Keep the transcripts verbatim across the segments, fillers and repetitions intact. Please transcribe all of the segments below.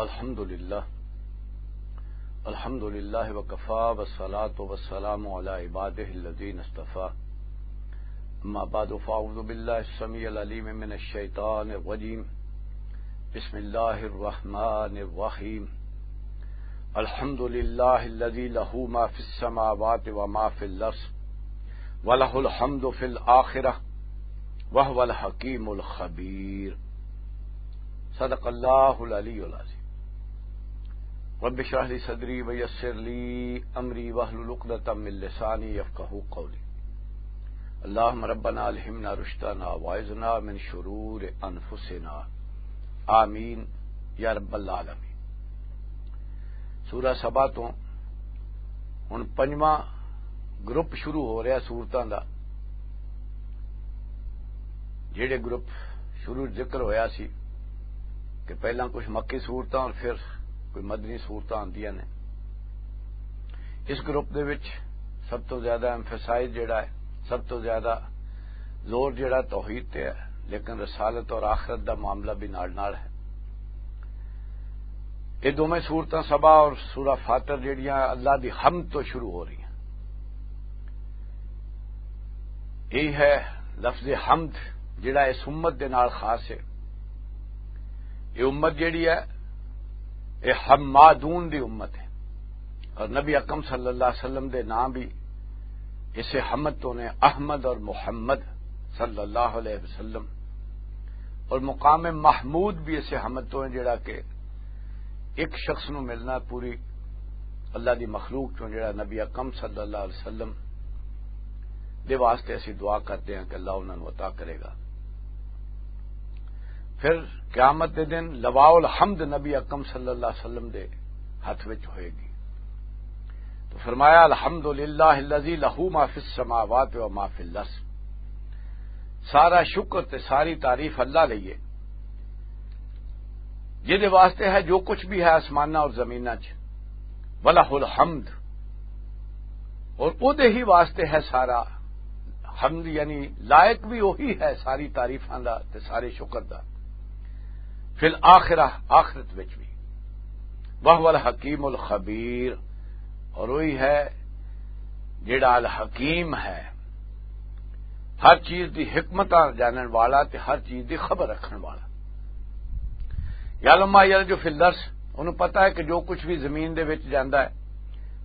الحمد لله. الحمد لله وكفى، والصلاة والسلام على عباده الذين اصطفى. أما بعد، فأعوذ بالله السميع العليم من الشيطان الرجيم. بسم الله الرحمن الرحيم. الحمد لله الذي له ما في السماوات وما في الأرض، وله الحمد في الآخرة، وهو الحكيم الخبير. صدق اللہ العلی العظیم۔ رب اشرح لی صدری ویسر لی امری واحلل عقدۃ من لسانی یفقہوا قولی۔ اللہم ربنا الہمنا رشدنا واعذنا من شرور انفسنا۔ آمین یا رب العالمین۔ سورہ سبا تو ہن پنجواں گروپ شروع ہو رہا سورتاں دا۔ جہڑے گروپ شروع ذکر ہویا سی کہ پہلاں کچھ مکی سورتاں اور پھر کوئی مدنی سورتاں آندیاں نے۔ اس گروپ دے وچ سب تو زیادہ ایمفیسائز جڑا ہے، سب تو زیادہ زور جڑا توحید تے ہے، لیکن رسالت اور آخرت دا معاملہ بھی نال نال ہے۔ یہ دوویں سورتاں سبا اور سورہ فاتر جڑیاں اللہ دی حمد تو شروع ہو رہی ہیں۔ یہ ہے لفظ حمد، جڑا اس امت دے نال خاص ہے۔ یہ امت جڑی ہے، یہ حمادون دی امت ہے، اور نبی اکرم صلی اللہ علیہ وسلم دے نام بھی اسے حمد تو نے، احمد اور محمد صلی اللہ علیہ وسلم، اور مقام محمود بھی اسے حمد تو ہیں، جڑا کہ ایک شخص نو ملنا پوری اللہ دی مخلوق چوں، جڑا نبی اکرم صلی اللہ علیہ وسلم دے واسطے اسی دعا کرتے ہیں کہ اللہ انہاں نو عطا کرے گا۔ پھر قیامت دے دن لواء الحمد نبی اکرم صلی اللہ علیہ وسلم دے ہاتھ وچ ہوئے گی۔ تو فرمایا، الحمد للہ الذی لہ ما فی السماوات و ما فی الارض۔ سارا شکر تے ساری تعریف اللہ لئی ہے، جس دے واسطے ہے جو کچھ بھی ہے آسماناں اور زمیناں چ، ولہ الحمد، اور او دے ہی واسطے ہے سارا حمد، یعنی لائق بھی وہی ہے ساری تعریفاں دا تے سارے شکر دا۔ فی الآخرہ، آخرت وچ بھی۔ وہو الحکیم الخبیر، اور وہی ہے جڑا الحکیم ہے، ہر چیز دی حکمت جانن والا تے ہر چیز دی خبر رکھن والا۔ یعلم ما یلج فی الارض، انہوں پتہ ہے کہ جو کچھ بھی زمین دے وچ جاندا ہے،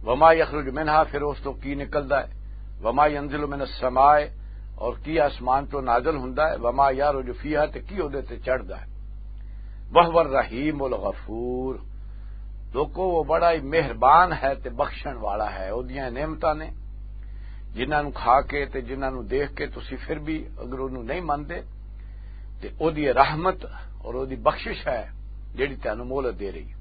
وما یخرج منہا، پھر اس تو کی نکلدا ہے، وما ینزل من السماء، اور کی آسمان تو نازل ہوندا ہے، وما یعرج فیہا، تے کی اودے تے چڑھدا ہے۔ وہو الرحیم الغفور، لوکو، وہ بڑا ہی مہربان ہے تے بخشن والا ہے۔ اودیاں نعمتاں نے، جنہاں نوں کھا کے تے جنہاں نوں دیکھ کے تسی پھر بھی اگر اونوں نہیں مندے، تے اودی رحمت اور اودی بخشش ہے جڑی تانوں مہلت دے رہی۔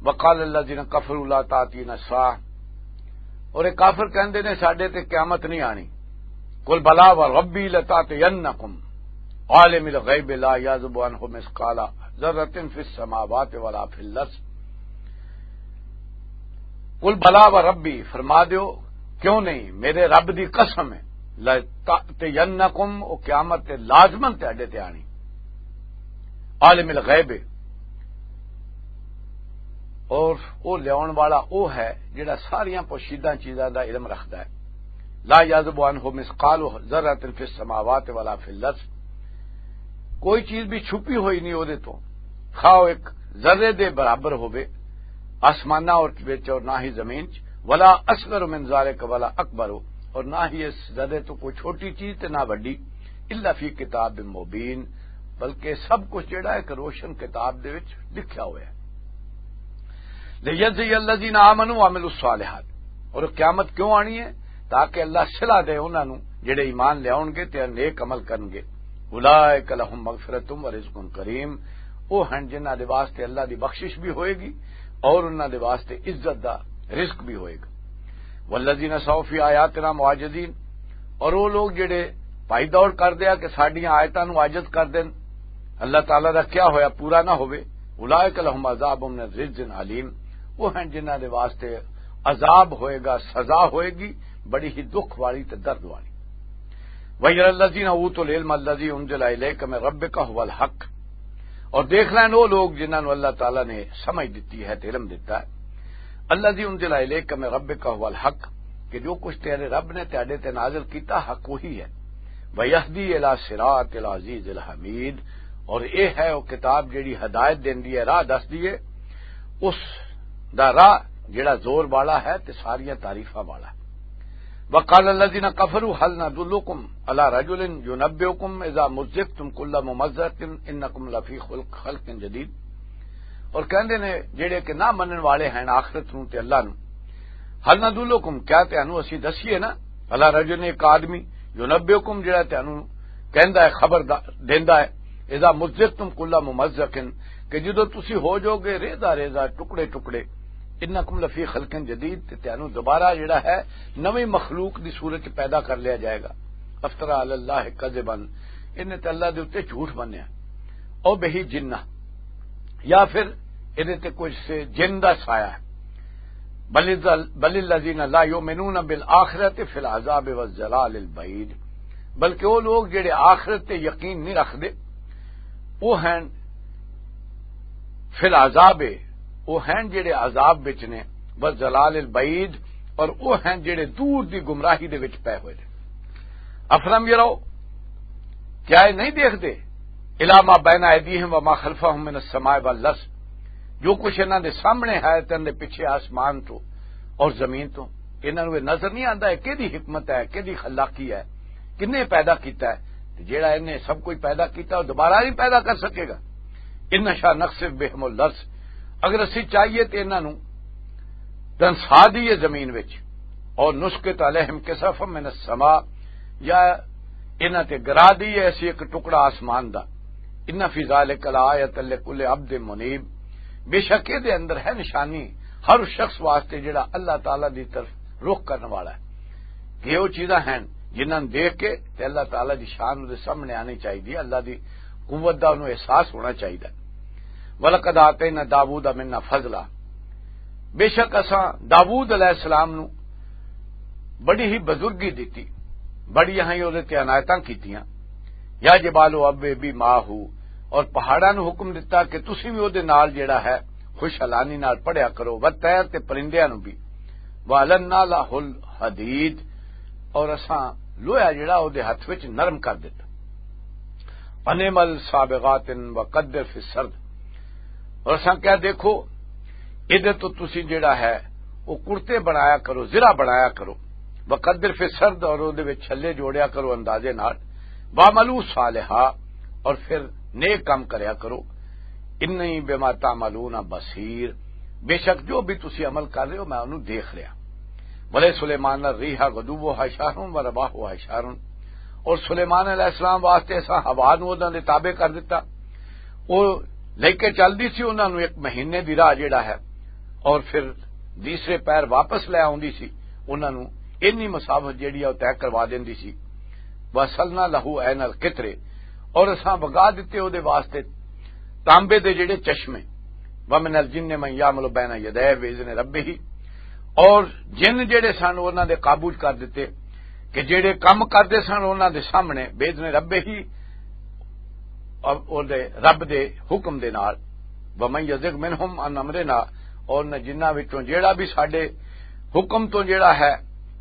وقال الذین کفروا لا تاتینا الساعة، اور یہ کافر کہندے نے ساڈے تے قیامت نہیں آنی۔ قل بلا وربی لتاتینکم عالم الغیب لا یعزب عنہ مثقال ذرۃ فی السماوات ولا فی الارض۔ قل بلا وربی، فرما دیو، کیوں نہیں، میرے رب دی قسم ہے، لتاتینکم، او قیامت تے لازمن تہاڈے تے آنی۔ عالم الغیب، اور او لیاون والا او ہے جڑا ساریاں پوشیدہ چیزاں دا علم رکھدا ہے۔ لا یعزب عنہ مثقال ذرۃ فی السماوات ولا فی الارض، کوئی چیز بھی چھپی ہوئی نہیں اودے تو، خواہ او ایک ذرے دے برابر ہوے آسماناں اور وچ اور نہ ہی زمین چ، ولا اصغر من ذالک ولا اکبر، اور نہ ہی اس ذرے تو کوئی چھوٹی چیز تے نہ وڈی، الا فی کتاب مبین، بلکہ سب کچھ جڑا ہے کہ روشن کتاب دے وچ لکھیا ہوا ہے۔ لیجزی الذین آمنوا وعملوا الصالحات، اور قیامت کیوں آنی ہے؟ تاکہ اللہ صلہ دے انہاں نوں جڑے ایمان لے آؤن گے تے نیک عمل کرن گے۔ اولئک لہم مغفرۃ و رزق کریم، او ہن جنہاں دے واسطے اللہ دی بخشش بھی ہوئے گی اور انہاں دے واسطے عزت دا رزق بھی ہوئے گا۔ والذین سعوا فی آیاتنا معاجزین، اور وہ لوگ جڑے پائی دوڑ کر دیا کہ ساڈیاں آیتاں نوں عاجز کر دین، اللہ تعالیٰ دا کیا ہویا پورا نہ ہوئے، اولئک لہم عذاب من رجز علیم، وہ ہیں جنہاں دے واسطے عذاب ہوئے گا، سزا ہوئے گی بڑی ہی دکھ والی تے درد والی۔ وَيَرَى الَّذِينَ أُوتُوا الْعِلْمَ الَّذِي أُنزِلَ إِلَيْكَ مِن رَّبِّكَ هُوَ الْحَقُّ، اور دیکھ لین وہ لوگ جنہاں نوں اللہ تعالیٰ نے سمجھ دتی ہے تے علم دتا ہے۔ الذی انزل الیک من ربک هو الحق، کہ جو کچھ تیرے رب نے تیرے تے نازل کیتا، حق وہی ہے۔ ویہدی الی صراط العزیز الحمید، اور یہ ہے وہ کتاب جڑی ہدایت دیندی ہے، راہ دس دیے، اس دا راہ جڑا زور والا ہے تے ساریاں تعریفاں والا ہے۔ وقال الذين كفروا هل ندلكم على رجل ينبئكم اذا مزقتم كل ممزق انكم لفي خلق خلق جديد۔ اور کہندے نے جڑے کہ نہ منن والے ہیں آخرت نوں تے اللہ نوں، هل ندلكم، کیا تانوں اسی دسیے نا، على رجل، ایک آدمی، ينبئكم، جڑا تانوں کہندا ہے، خبر دا- دیندا ہے، اذا مزقتم كل ممزق، کہ جدوں تسی ہو جاؤ گے ریزہ ریزہ، ٹکڑے ٹکڑے، انکم لفی خلق جدید، تے تانوں دوبارہ جڑا ہے نویں مخلوق دی صورت چ پیدا کر لیا جائے گا۔ افترا علی اللہ کذبا، انہیں تے اللہ دے اُتے جھوٹ بنیا۔ او بہی جنہ، یا پھر انہیں تے کچھ سے جن دا سایہ ہے۔ بل الذ-، بل الذین لا یؤمنون بالآخرۃ فی العذاب والضلال البعید، بلکہ وہ لوگ جڑے آخرت تے یقین نہیں رکھدے، وہ ہیں فی العذاب، وہ ہیں جڑے عذاب وچ نے، والضلال البعید، اور وہ ہیں جڑے دور دی گمراہی دے وچ پے ہوئے نے۔ افلم یرو، کیا یہ نہیں دیکھتے؟ الی ما بین ایدیہم وما خلفہم من السماء والارض، جو کچھ انہاں دے سامنے ہے تے انہاں دے پیچھے آسمان تو اور زمین تو، انہاں نوں یہ نظر نہیں آندا ہے کیدی حکمت ہے، کیدی خلاقی ہے، کنے پیدا کیتا ہے؟ تے جیڑا انہیں سب کچھ پیدا کیتا، وہ دوبارہ نہیں پیدا کر سکے گا۔ ان نشا نخسف بہم الارض، اگر اسی چاہیے تے انہاں نوں دنسا دیے زمین وچ، اور نسقط علیہم کسفا من السماء، یا انہاں تے گرا دیے اسی ایک ٹکڑا آسمان دا۔ ان فی ذلک لآیۃ لکل عبد منیب، بے شک اے دے اندر ہے نشانی ہر اس شخص واسطے جڑا اللہ تعالیٰ دی طرف رخ کرنے والا ہے۔ کہ وہ چیزاں ہیں جنہاں نوں دیکھ کے تے اللہ تعالیٰ دی شان دے سامنے آنی چاہیے، اللہ دی قوت دا انہوں احساس ہونا چاہیے۔ وَلَقَدْ آتَيْنَا دَاوُودَ مِنَّا فَضْلًا، بے شک اساں داوود علیہ السلام نو بڑی ہی بزرگی دتی، بڑی ہی اودے تے عنایتاں کیتیاں۔ یا جبال اوبی ماہ، اور پہاڑاں نو حکم دتا کہ تسی بھی اودے نال جڑا ہے خوشحالانی نال پڑھیا کرو، و طیر تے پرندیاں نو بھی۔ وَأَلَنَّا لَهُ الْحَدِيدَ، اور اساں لوہا جڑا اودے ہتھ وچ نرم کر دتا۔ فَنِعْمَ الْسَابِغَاتِ وَقَدَّرَ فِي السَّرْدِ، اور اساں کیا دیکھو، ادھر تو تسی جڑا ہے وہ کرتے بنایا کرو، زرہ بنایا کرو، وقدر فی السرد، اور اودے وچ چھلے جوڑیا کرو اندازے نال، وَاعْمَلُوا صَالِحًا، اور پھر نیک کام کریا کرو، اِنِّي بِمَا تَعْمَلُونَ بَصِيرٌ، بے شک جو بھی تسی عمل کر رہے ہو میں انہوں دیکھ رہا۔ وَلِسُلَيْمَانَ الرِّيحُ غُدُوُّهَا شَهْرٌ وَرَوَاحُهَا شَهْرٌ، اور سلیمان علیہ السلام واسطے اساں ہوا نوں انہاں دے تابع کر دتا، وہ لے کے چلدی سی انہاں نوں ایک مہینے دی راہ جڑا ہے، اور پھر تیسرے پیر واپس لے آوندی سی، انہاں نوں اینی مسافت جڑی ہے وہ طے کروا دیندی سی۔ وَأَسَلْنَا لَهُ عَيْنَ الْقِطْرِ، اور اساں وگا دتے اودے واسطے تانبے دے جڑے چشمے۔ وَمِنَ الْجِنِّ مَن يَعْمَلُ بَيْنَ يَدَيْهِ بِإِذْنِ رَبِّهِ، اور جن جڑے سن انہاں دے قابو چ کر دتے، کہ جڑے کم کردے سن انہاں دے سامنے، بِإِذْنِ رَبِّهِ، اور دے رب دے حکم دے نال۔ وَمَن يَزِغْ مِنْهُمْ عَنْ أَمْرِنَا، اور نہ جنہاں وچوں جیڑا بھی ساڈے حکم تو جیڑا ہے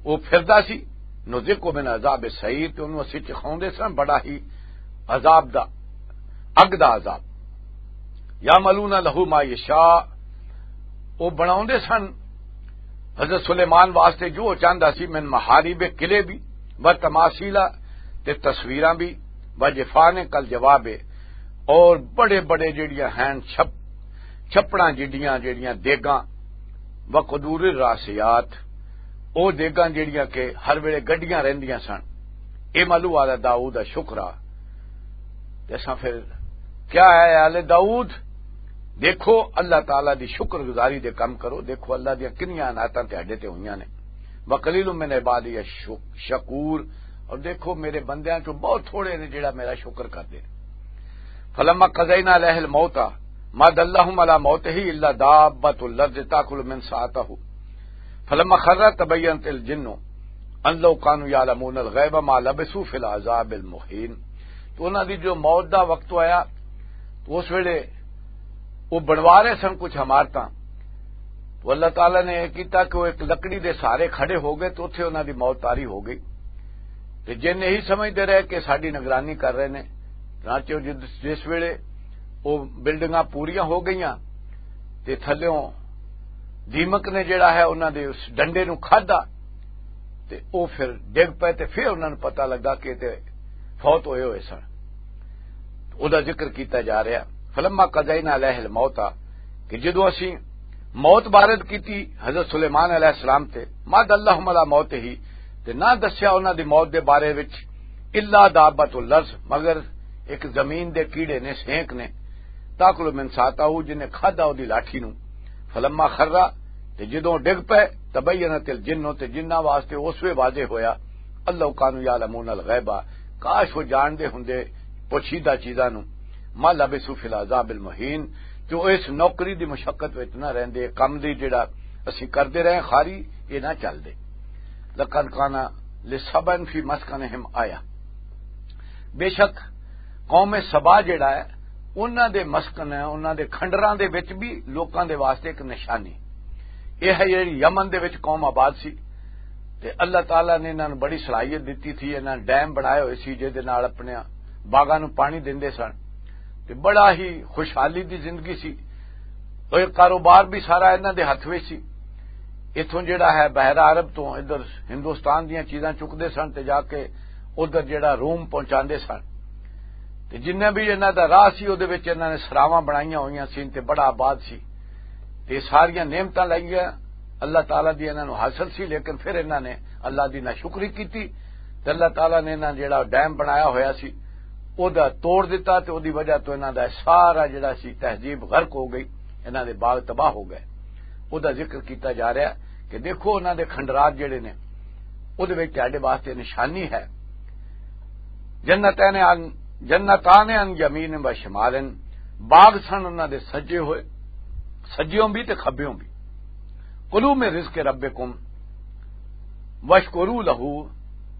وہ پھردا سی، نذقہ من عذاب السعیر، تے انہوں اسی چکھاوندے سن بڑا ہی عذاب دا، اگ دا عذاب۔ یعملون لہ ما یشاء، وہ بناوندے سن حضرت سلیمان واسطے جو وہ چاہندا سی، من محاریب، قلعے بھی، و تماثیل، تے تصویراں بھی، و جفان کل جواب، اور بڑے بڑے جڑیاں ہیں چھپ چھپڑاں جڈیاں جڑیاں دیگاں، و قدور الراسیات، او دیگاں جڑیاں کہ ہر ویلے گڈیاں رہندیاں سن۔ اعملوا آل داؤد شکرا۔ تے اساں پھر کیا ہے، آل داؤد، دیکھو اللہ تعالیٰ دی شکر گزاری دے کم کرو، دیکھو اللہ دیاں کنیاں عنایتاں تہاڈے تے ہوئیاں نے۔ وقلیل من عبادی الشکور، اور دیکھو میرے بندیاں چوں بہت تھوڑے نے جڑا میرا شکر کردے۔ فلما قضینا علیہ الموت ما دلهم علی موتہ الا دابۃ الارض تاکل من ساعتہ فلما خر تبینت الجن ان لو کانوا یعلمون الغیب ما لبثوا فی العذاب المہین۔ تو انہاں دی جو موت دا وقت آیا، اس ویلے وہ بنوا رہے سن کچھ عمارتاں۔ تو اللہ تعالیٰ نے یہ کیتا کہ وہ ایک لکڑی دے سہارے کھڑے ہو گئے، تو اتھے انہاں دی موت طاری ہو گئی۔ تے جن یہی سمجھدے رہے کہ ساڈی نگرانی کر رہے نے، چنانچہ جس، جس ویلے وہ بلڈنگاں پوریاں ہو گئیاں تے تھلیوں دیمک نے جڑا ہے انہاں دے اس ڈنڈے نوں کھادا، تے او پھر ڈگ پئے، تے پھر انہاں نوں پتہ لگا کہ تے فوت ہوئے ہوئے سن۔ او دا ذکر کیتا جا رہا۔ فلما قضینا علیہ الموت، کہ جدوں اسی موت وارد کیتی حضرت سلیمان علیہ السلام تے، ما دلہم علی موت ہی، تے نہ دسیا انہاں دی موت دے بارے وچ، الا دابۃ الارض، مگر ایک زمین دے کیڑے نے، سینک نے، تاکل من ساتا، جن نے کھادا او دی لاٹھی نوں۔ فلما خرا، تے جدوں ڈگ پئے، تبینت الجن، تے جنہاں واسطے اس وے واضح ہویا، اللہ کانوا یعلمون الغیبہ، کاش وہ جان دے ہوندے پوشیدہ چیزاں نوں۔ ما لبثوا فی العذاب المہین، جو اس نوکری دی مشقت وچ نہ رہندے، کم دی جڑا اسی کردے رہے خاری، یہ نہ چل دے۔ لقد کان لسبأ فی مسکنہم آیہ، بے شک قوم سبا جڑا ہے، انہاں دے مسکن ہے، انہاں دے کھنڈراں دے وچ بھی لوکاں دے واسطے ایک نشانی۔ یہ ہے جڑی یمن دے وچ قوم آباد سی، تے اللہ تعالیٰ نے انہاں نوں بڑی صلاحیت دتی تھی، انہاں ڈیم بنائے ہوئے سی جس دے نال اپنے باغاں نوں پانی دیندے سن، تے بڑا ہی خوشحالی دی زندگی سی۔ اور یہ کاروبار بھی سارا انہاں دے ہتھ وچ سی۔ اتھوں جڑا ہے بحیرہ عرب تو ادھر ہندوستان دیاں چیزاں چکدے سن تے جا کے ادھر جڑا روم پہنچاندے سن۔ تے جنہیں بھی انہاں دا راہ سی، اودے وچ انہاں نے سراواں بنائیاں ہوئیاں سی تے بڑا آباد سی۔ تے ساریاں نعمتاں لگیاں اللہ تعالیٰ دی انہاں نوں حاصل سی، لیکن پھر انہاں نے اللہ دی ناشکری کیتی تے اللہ تعالیٰ نے انہاں جڑا ڈیم بنایا ہویا سی، او دا توڑ دتا تے او دی وجہ تو انہاں دا سارا جڑا سی تہذیب غرق ہو گئی، انہاں دے باغ تباہ ہو گئے۔ او دا ذکر کیتا جا رہا ہے کہ دیکھو انہاں دے کھنڈرات جڑے نے، او دے وچ تہاڈے واسطے نشانی ہے۔ جنتین عن، جنتان عن یمین و شمال، باغ سن انہاں دے سجے ہوئے، سجیوں بھی تے کھبیوں بھی۔ کلوا من رزق ربکم واشکروا لہ،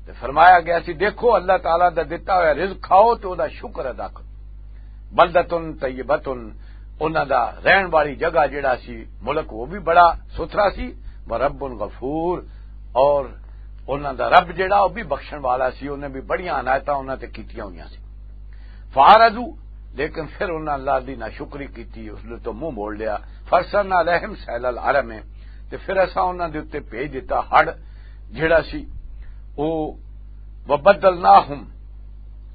تے فرمایا گیا سی، دیکھو اللہ تعالیٰ دا دتا ہویا رزق کھاؤ تے او دا شکر ادا کرو۔ بلدۃ طیبۃ، انہاں دا رہن والی جگہ جڑا سی، ملک، وہ بھی بڑا ستھرا سی۔ ورب غفور، اور انہاں دا رب جڑا، وہ بھی بخشن والا سی، انہیں بھی بڑیاں عنایتاں انہاں تے کیتیاں ہوئیاں سی۔ فاعرضوا، لیکن پھر انہاں اللہ دی ناشکری کیتی، اس نے تو منہ موڑ لیا۔ فارسلنا علیہم سیل العرم، تے پھر اساں انہاں دے اُتے بھیج دتا ہڑ جڑا سی، او وبدلناہم،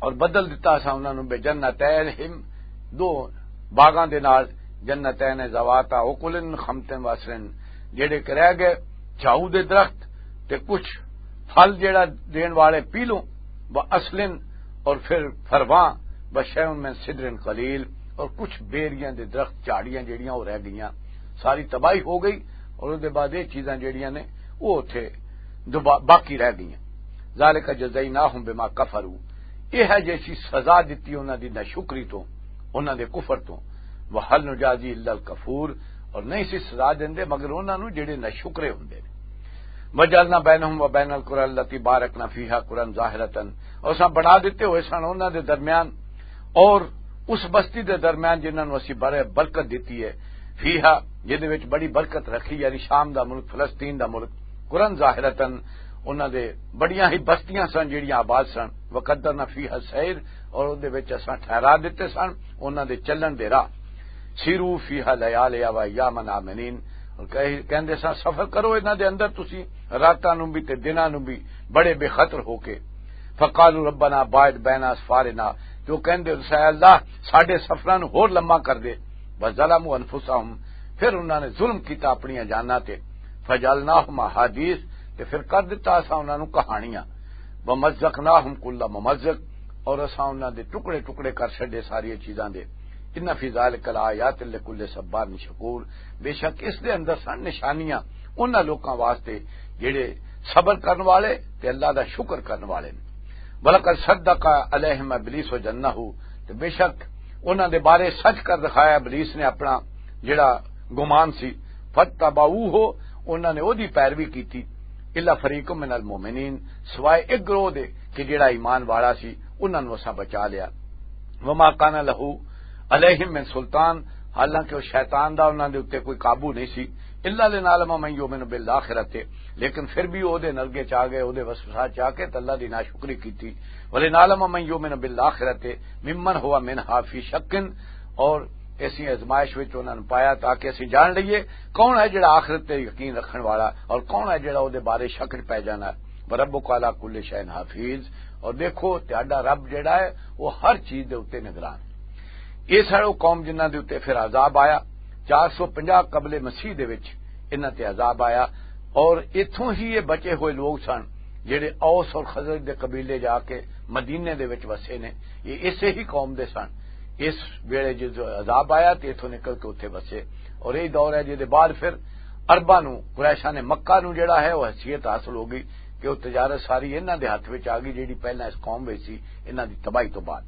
اور بدل دتا اساں انہاں نوں بجنتیہم، دو باغاں دے نال، جنتین ذواتا اکل خمت و عصر، جڑے کہ رہ گئے جھاؤ دے درخت تے کچھ پھل جڑا دین والے پیلوں، و اصلن، اور پھر پھرواں، و شیء من سدر قلیل، اور کچھ بیریاں دے درخت، جھاڑیاں جڑیاں وہ رہ گئیاں، ساری تباہی ہو گئی، اور اس دے بعد یہ چیزاں جڑیاں نے وہ اتھے دوبا-، باقی رہ گئیاں۔ ذالک جزیناہم بما کفروا، یہ ہے جیسی سزا دتی انہاں دی ناشکری تو، انہاں دے کفر تو۔ وہل نجازی الا الکفور، اور نہیں سی سزا دیندے مگر انہاں نوں جڑے ناشکرے ہوندے نے۔ وجعلنا بینہم و بین القری التی بارکنا فیہا قری ظاہرۃ، اور اساں بنا دتے ہوئے سن انہاں دے درمیان اور اس بستی دے درمیان جنہاں نوں اسی بڑے برکت دتی ہے، فیہا، جدے وچ بڑی برکت رکھی، یعنی شام دا ملک، فلسطین دا ملک، قری ظاہرۃ، انہاں دے بڑیاں ہی بستیاں سن جڑیاں آباد سن، وقدرنا فیہا السیر، اور اون دے وچ اساں ٹھہرا دتے سن انہاں دے چلن دے راہ۔ سیروا فیہا لیالیا و ایاما آمنین، اور کہہ-، کہندے سن، سفر کرو انہاں دے اندر تسی راتاں نوں بھی تے دناں نوں بھی بڑے بے خطر ہو کے۔ فقالوا ربنا باعد بین اسفارنا، جو کہندے، اے اللہ، ساڈے سفراں نوں ہور لمبا کر دے۔ وظلموا انفسہم، پھر انہاں نے ظلم کیتا اپنی جاناں تے۔ فجعلناہم احادیث، تے پھر کر دتا اساں انہاں نوں کہانیاں۔ ومزقناہم کل ممزق، اور اساں انہاں دے ٹکڑے ٹکڑے کر چھڈے ساری چیزاں دے۔ ان فی ذلک لآیات لکل صبار شکور، بے شک اس دے اندر سن نشانیاں انہاں لوکاں واسطے جڑے صبر کرن والے تے اللہ دا شکر کرن والے نے۔ ولقد صدق علیہم ابلیس ظنہ، تے بے شک انہاں دے بارے سچ کر دکھایا ابلیس نے اپنا جڑا گمان سی۔ فاتبعوہ، انہاں نے اودی پیروی کیتی۔ الا فریق من المؤمنین، سوائے ایک گروہ دے کہ جڑا ایمان والا سی، انہاں نوں اساں بچا لیا۔ وما کان لہ، علیہم من سلطان، حالانکہ وہ شیطان دا انہاں دے اُتے کوئی قابو نہیں سی۔ الا لنعلم من یؤمن بالآخرۃ، لیکن پھر بھی او دے نرگے چ آ گئے، او دے وسوسات چ آ کے تے اللہ دی ناشکری کیتی۔ ولنعلم من یؤمن بالآخرۃ ممن هو منها فی شک، اور ایسی آزمائش وچ انہاں نوں پایا تاکہ اسی جان لئیے کون ہے جڑا آخرت تے یقین رکھن والا اور کون ہے جڑا او دے بارے شک وچ پے جانا ہے۔ وربک علی کل شیء حفیظ، اور دیکھو تہاڈا رب جڑا ہے وہ ہر چیز دے اُتے نگران۔ یہ سارے قوم جنہاں دے اُتے پھر عذاب آیا، چار سو پنجاہ قبل مسیح دے وچ انہاں تے عذاب آیا، اور اتھوں ہی یہ بچے ہوئے لوگ سن جڑے اوس اور خزرج دے قبیلے جا کے مدینے دے وچ وسے نے۔ یہ اسے ہی قوم دے سن۔ اس ویلے جو عذاب آیا تے اتھوں نکل کے اُتے وسے، اور یہ دور ہے جس دے بعد پھر عرباں نوں، قریشاں نے مکہ نوں جڑا ہے وہ حیثیت حاصل ہو گئی کہ وہ تجارت ساری انہاں دے ہاتھ وچ آ گئی، جڑی پہلاں اس قوم وچ سی، انہاں دی تباہی تو بعد۔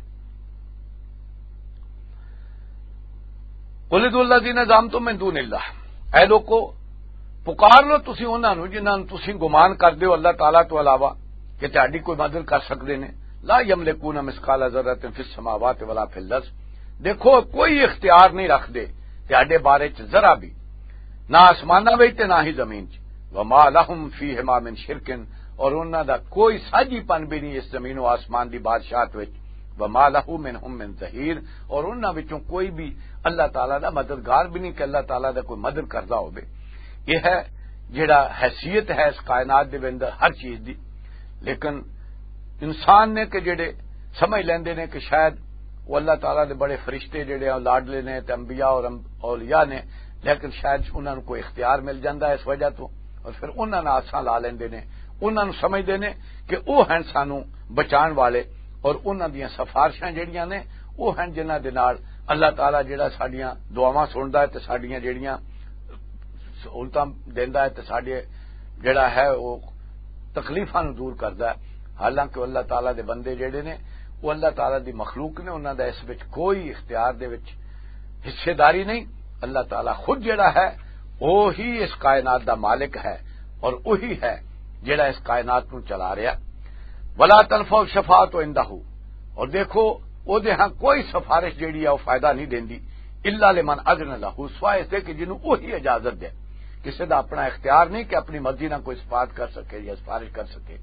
قل ادعوا الذین زعمتم من دون اللہ، اے لوکو، پکار لو تسی انہاں نوں جنہاں نوں تسی گمان کردے ہو اللہ تعالیٰ تو علاوہ کہ تہاڈی کوئی مدد کر سکدے نے۔ لا یملکون مثقال ذرۃ فی السماوات ولا فی الارض، دیکھو کوئی اختیار نہیں رکھدے تہاڈے بارے چ ذرا بھی، نہ آسماناں وچ تے نہ ہی زمین چ۔ وما لہم فیہما من شرک، اور انہاں دا کوئی ساجھی پن بھی نہیں اس زمین و آسمان دی بادشاہت وچ۔ وما لہ منہم من ظہیر، اور انہاں وچوں کوئی بھی اللہ تعالیٰ دا مددگار بھی نہیں کہ اللہ تعالیٰ دا کوئی مدد کردا ہوے۔ یہ ہے جڑا حیثیت ہے اس کائنات دے اندر ہر چیز دی۔ لیکن انسان نے کہ جڑے سمجھ لیندے نے کہ شاید وہ اللہ تعالیٰ دے بڑے فرشتے جڑے ہیں، لاڈلے نے تے انبیاء اور ام-، اولیاء نے، لیکن شاید انہاں نوں کوئی اختیار مل جاندا ہے اس وجہ تو، اور پھر انہاں نال آساں لا لیندے نے، انہاں نوں سمجھدے نے کہ او ہن سانوں بچان والے، اور انہاں دیاں سفارشاں جڑیاں نے، او ہن جنہاں دے نال اللہ تعالیٰ جڑا ساڈیاں دعاواں سندا ہے تے ساڈیاں جڑیاں سہولتاں دیندا ہے تے ساڈے جڑا ہے او تکلیفاں نوں دور کردا ہے۔ حالانکہ اللہ تعالیٰ دے بندے جڑے نے، وہ اللہ تعالیٰ دی مخلوق نے، انہاں دا اس وچ کوئی اختیار دے وچ حصے داری نہیں۔ اللہ تعالیٰ خود جڑا ہے، وہی اس کائنات دا مالک ہے اور وہی ہے جڑا اس کائنات نوں چلا رہا۔ ولا تنفع الشفاعۃ عندہ، اور دیکھو، او دے ہاں کوئی سفارش جڑی ہے وہ فائدہ نہیں دیندی، الا لمن اذن لہ، سوائے اس دے کہ جنوں وہی اجازت دے۔ کسے دا اپنا اختیار نہیں کہ اپنی مرضی نال کوئی سفارش کر سکے یا سفارش کر سکے۔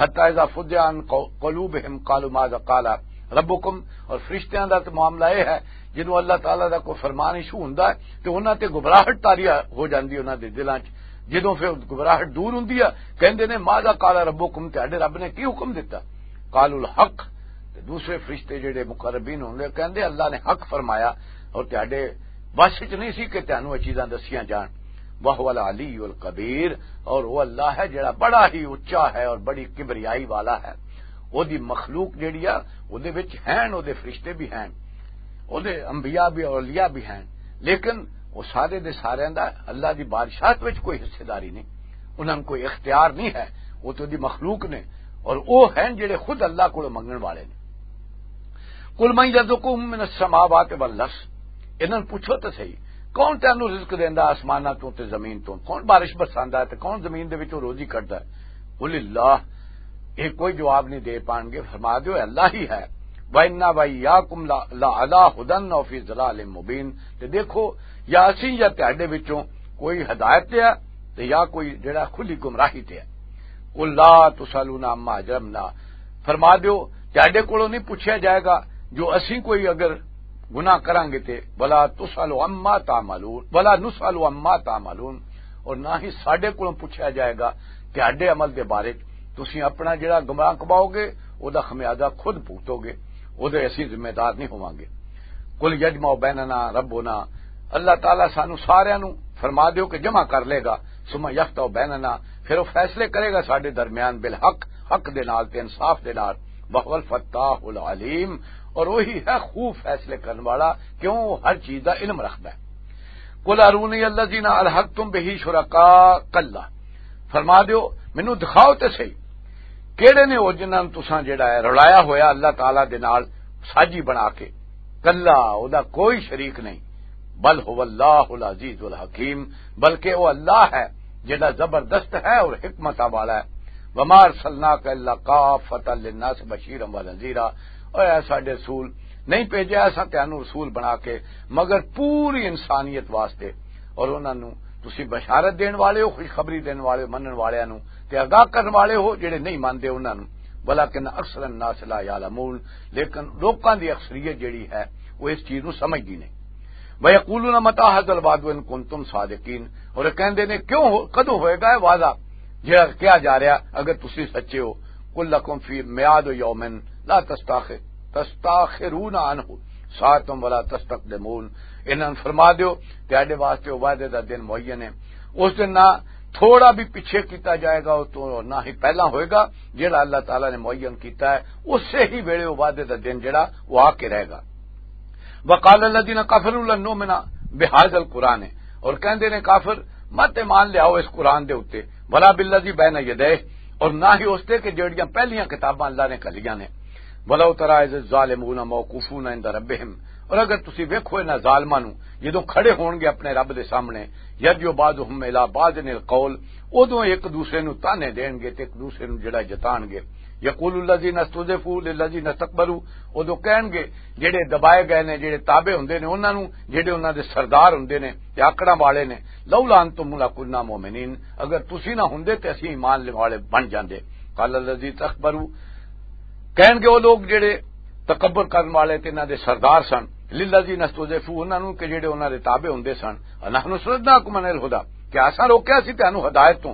حتی اذا فزع عن قو-، قلوبہم قالوا ماذا قال ربکم، اور فرشتیاں دا تے معاملہ یہ ہے، جنوں اللہ تعالیٰ دا کوئی فرمان ایشو ہوندا ہے تے انہاں تے گھبراہٹ طاری ہو جاندی انہاں دے دلاں 'چ۔ جدوں پھر گھبراہٹ دور ہوندی ہے، کہندے نے ماذا قال ربکم، تہاڈے رب نے کی حکم دتا؟ قالوا الحق، تے دوسرے فرشتے جڑے مقربین ہوندے کہندے اللہ نے حق فرمایا اور تہاڈے بس وچ نہیں سی کہ تہانوں یہ چیزاں دسیاں جان۔ وہو العلی الکبیر، اور وہ اللہ ہے جڑا بڑا ہی اچا ہے اور بڑی کبریائی والا ہے۔ او دی مخلوق جڑی آ، او دے وچ ہین، او دے فرشتے بھی ہین، او دے انبیاء بھی، اولیاء بھی ہین، لیکن او سارے دے سارے دا اللہ دی بادشاہت وچ کوئی حصے داری نہیں، انہاں نوں کوئی اختیار نہیں ہے، او تے دی مخلوق نے، اور او ہین جڑے خود اللہ کولوں منگن والے نے۔ قل من یرزقکم من السماوات والارض، انہاں نوں پوچھو تے صحیح، کون تینوں رزق دیندا آسماناں تو تے زمین تو؟ کون بارش برساندا ہے تے کون زمین دے وچوں روزی کڈدا ہے؟ قل اللہ، یہ کوئی جواب نہیں دے پان گے، فرما دیو اللہ ہی ہے۔ وَإِنَّا وَإِيَّاكُمْ لَ-، لَعَلَىٰ هُدًى أَوْ فِي ضَلَالٍ مُّبِينٍ، تے دیکھو یا اسی یا تہاڈے وچوں کوئی ہدایت تے ہے تے یا کوئی جڑا کھلی گمراہی تے ہے۔ قل لا تسألون عما اجرمنا، فرما دیو تہاڈے کولوں نہیں پوچھیا جائے گا جو اسی کوئی اگر گناہ کراں گے تے، ولا تسأل عما تعملون، ولا نسأل عما تعملون، اور نہ ہی ساڈے کولوں پوچھیا جائے گا تہاڈے عمل دے بارے۔ تسی اپنا جڑا گمراہ کماؤ گے، او دا خمیازہ خود بھگتو گے، او دے اسی ذمہ دار نہیں ہوواں گے۔ قل یجمع بیننا ربنا، اللہ تعالیٰ سانو سارے نو فرما دیو کہ جمع کر لے گا، ثم یفتح بیننا، پھر وہ فیصلے کرے گا ساڈے درمیان بالحق، حق دے نال تے انصاف دے نال۔ وہو الفتاح العلیم، اور وہی ہے خوب فیصلے کرن والا، کیوں وہ ہر چیز دا علم رکھدا ہے۔ قل ارونی الذین الحقتم بہ شرکاء، کلا، فرما دیو مینوں دکھاؤ تے صحیح، کیڑے نے او جنہاں نوں تساں جڑا ہے رلایا ہویا اللہ تعالیٰ دے نال ساجی بنا کے؟ کلا، او دا کوئی شریک نہیں۔ بل هو اللہ العزیز الحکیم، بلکہ او اللہ ہے جڑا زبردست ہے اور حکمت والا ہے۔ وما ارسلناک الا کافۃ للناس بشیرا ونذیرا، اے ساڈے رسول، نہیں بھیجیا اساں تانوں رسول بنا کے مگر پوری انسانیت واسطے۔ اور انہاں نوں تسی بشارت دین والے ہو، خوشخبری دین والے ہو، منن والیاں نوں تے آگاہ کرن والے ہو جڑے نہیں مندے انہاں نوں۔ ولکن اکثر الناس لا یعلمون، لیکن لوکاں دی اکثریت جڑی ہے وہ اس چیز نوں سمجھدی نہیں۔ وَيَقُولُونَ مَتَىٰ هَٰذَا الْوَعْدُ إِن كُنتُمْ صَادِقِينَ، اور یہ کہندے نے کیوں ہو، کدوں ہوئے گا یہ وعدہ جڑا کیا جا رہا اگر تسی سچے ہو؟ قُل لَّكُمْ فِي مِيعَادُ يَوْمٍ لَّا تَسْتَأْخِ- تَسْتَأْخِرُونَ عَنْهُ سَاعَةً وَلَا تَسْتَقْدِمُونَ۔ انہاں نوں فرما دیو، تہاڈے واسطے او وعدے دا دن معین ہے، اس دن نہ تھوڑا بھی پیچھے کیتا جائے گا، او تو نہ ہی پہلا ہوئے گا۔ جڑا اللہ تعالیٰ نے معین کیتا ہے، اسے ہی ویلے او وعدے دا دن جڑا، او آ کے رہے گا۔ وقال الذين كفروا لن نؤمن بهذا القرآن، اور کہندے نے کافر، مت ایمان لیاؤ اس قرآن دے اُتے، ولا بالذي بين يديه، اور نہ ہی اس تے کہ جڑیاں پہلیاں کتاباں اللہ نے گھلیاں نے۔ ولو ترى إذ الظالمون موقوفون عند ربهم، اور اگر تسی ویکھو انہاں ظالماں نوں جدوں کھڑے ہون گے اپنے رب دے سامنے، يرجع بعضهم إلى بعض القول، ادوں ایک دوسرے نوں تانے دین گے تے ایک دوسرے نوں جڑا جتان گے۔ يقول الذين استضعفوا للذين استكبروا، ادوں کہن گے جڑے دبائے گئے نے، جڑے تابع ہوندے نے انہاں نوں، جڑے انہاں دے سردار ہوندے نے تے آکڑاں والے نے، لولا انتم لكنا مؤمنين، اگر تسی نہ ہوندے تے اسی ایمان لینے والے بن جاندے۔ قال الذين استكبروا، کہن گے وہ لوگ جڑے تکبر کرن والے تے انہاں دے سردار سن، للذين استضعفوا، انہاں نوں کہ جڑے انہاں دے تابع ہوندے سن، انحن صددناكم عن الهدى، کہ اساں روکیا سی تانوں ہدایت تو،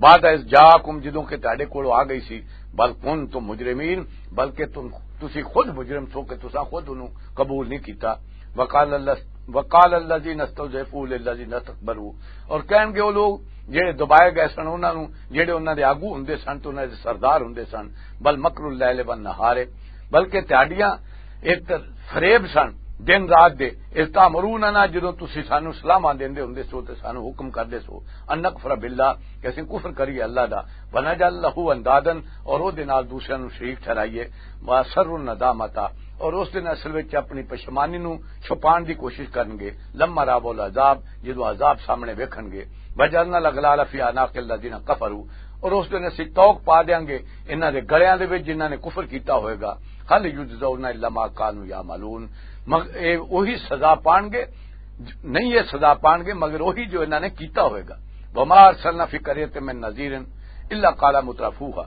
بعد اذ جاءكم، جدوں کہ تہاڈے کول آ گئی سی، بل كنتم مجرمين، بلکہ تم، تسی خود مجرم سو کہ تساں خود انہوں قبول نہیں کیتا۔ وقال الذ-، وقال الذين استضعفوا للذين استكبروا، اور کہن گے وہ لوگ جڑے دبائے گئے سن انہاں نوں، جڑے انہاں دے آگو ہوندے سن تے انہاں دے سردار ہوندے سن، بل مکر اللیل والنہار، بلکہ تہاڈیاں ایک فریب سن دن رات دے، اذ تأمروننا، جدوں تسی سانوں سلاحاں دیندے ہوندے سو تے سانوں حکم کردے سو، ان نکفر باللہ، کہ اسیں کفر کریے اللہ دا، ونجعل له اندادا، اور او دے نال دوسرے نوں شریک ٹھہرائیے، واسروا الندامۃ، اور اس دن اصل وچ اپنی پشمانی نوں چھپان دی کوشش کرن گے، لما راو العذاب، جدوں عذاب سامنے ویکھن گے، وجعلنا الاغلال فی اعناق الذین کفروا، اور اس دن اسی توق پا دیاں گے انہاں دے گلیاں دے وچ جنہاں نے کفر کیتا ہوئے گا، هل یجزون الا ما کانوا یعملون، مگر اے وہی سزا پان گے، نہیں یہ سزا پان گے مگر وہی جو انہاں نے کیتا ہوئے گا۔ وما ارسلنا فی قریۃ من نذیر الا قال مترفوها،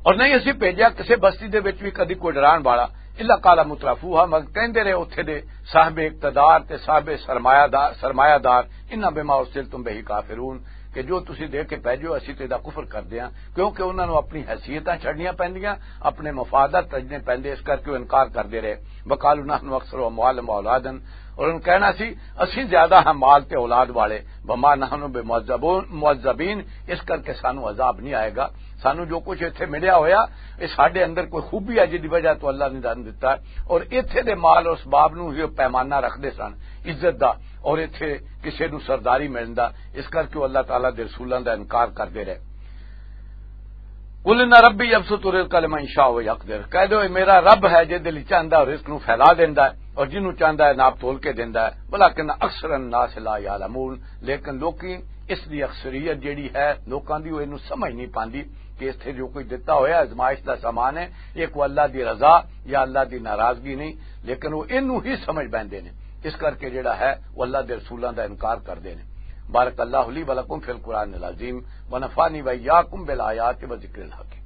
اور نہیں اسی بھیجیا کسے بستی دے وچ بھی کدی کوئی ڈران والا، الا قال مترفوها، مگر کہندے رہے اتھے دے صاحب اقتدار تے صاحب سرمایہ دار، سرمایہ دار، انا بما ارسلتم به کافرون، کہ جو تسی دے کے بھیجو اسی تے دا کفر کر دیاں، کیونکہ انہاں نوں اپنی حیثیتاں چھڈنیاں پیندیاں، اپنے مفادات تجنے پیندے، اس کر کے وہ انکار کردے رہے۔ وقالوا نحن اکثر اموالا واولادا، اور انہوں کہنا سی، اسی زیادہ ہیں مال تے اولاد والے، وما نحن بمعذبون، معذبین، اس کر کے سانو عذاب نہیں آئے گا۔ سانو جو کچھ ایتھے ملیا ہویا، یہ ساڈے اندر کوئی خوبی ہے جس دی وجہ تو اللہ نے دن دتا ہے۔ اور ایتھے دے مال اور اسباب نو ہی پیمانہ رکھدے سن عزت دا، اور ایتھے کسے نو سرداری ملن دا، اس کر کے وہ اللہ تعالیٰ دے رسولاں دا انکار کردے رہے۔ قل ان ربی یبسط الرزق لمن یشاء ویقدر، کہہ دو، اے میرا رب ہے جے دل چاہندا ہے رزق نو پھیلا دیندا ہے اور جنوں چاہندا ہے ناپ تول کے دیندا ہے، ولکن اکثر الناس لا یعلمون، لیکن لوکی، اس دی اکثریت جیڑی ہے لوکاں دی، وہ اینو سمجھ نہیں پاندی کہ اس تے جو کوئی دتا ہویا آزمائش دا سامان ہے، یہ کوئی اللہ دی رضا یا اللہ دی ناراضگی نہیں، لیکن وہ اینو ہی سمجھ بیندے نے، اس کر کے جیڑا ہے وہ اللہ دے رسولاں دا انکار کردے نے۔ بارک اللہ لی ولکم فی القرآن العظیم، ونفعنی وإیاکم بالآیات و ذکر الحکیم۔